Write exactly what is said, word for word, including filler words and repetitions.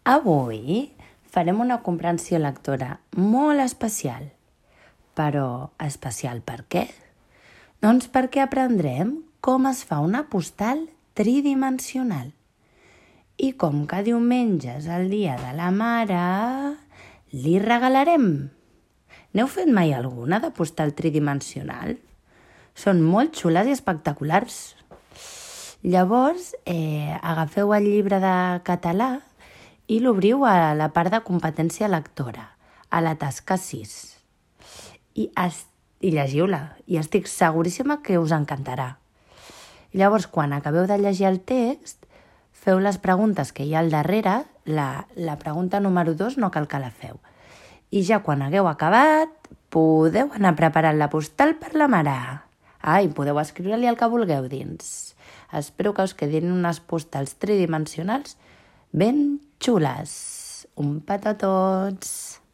Avui farem una comprensió lectora molt especial. Però especial per què? Doncs perquè aprendrem com es fa una postal tridimensional. I com que diumenge és el dia de la mare, li regalarem. N'heu fet mai alguna de postal tridimensional? Són molt xules i espectaculars. Llavors, eh, agafeu el llibre de català i l'obriu a la part de competència lectora, a la tasca sis. I, es, i llegiu-la, i estic seguríssima que us encantarà. Llavors, quan acabeu de llegir el text, feu les preguntes que hi ha al darrere, la, la pregunta número dos no cal que la feu. I ja quan hagueu acabat, podeu anar preparant la postal per la mare. Ah, i podeu escriure-li el que vulgueu dins. Espero que us quedin unes postals tridimensionals ben xules. Un petó a tots!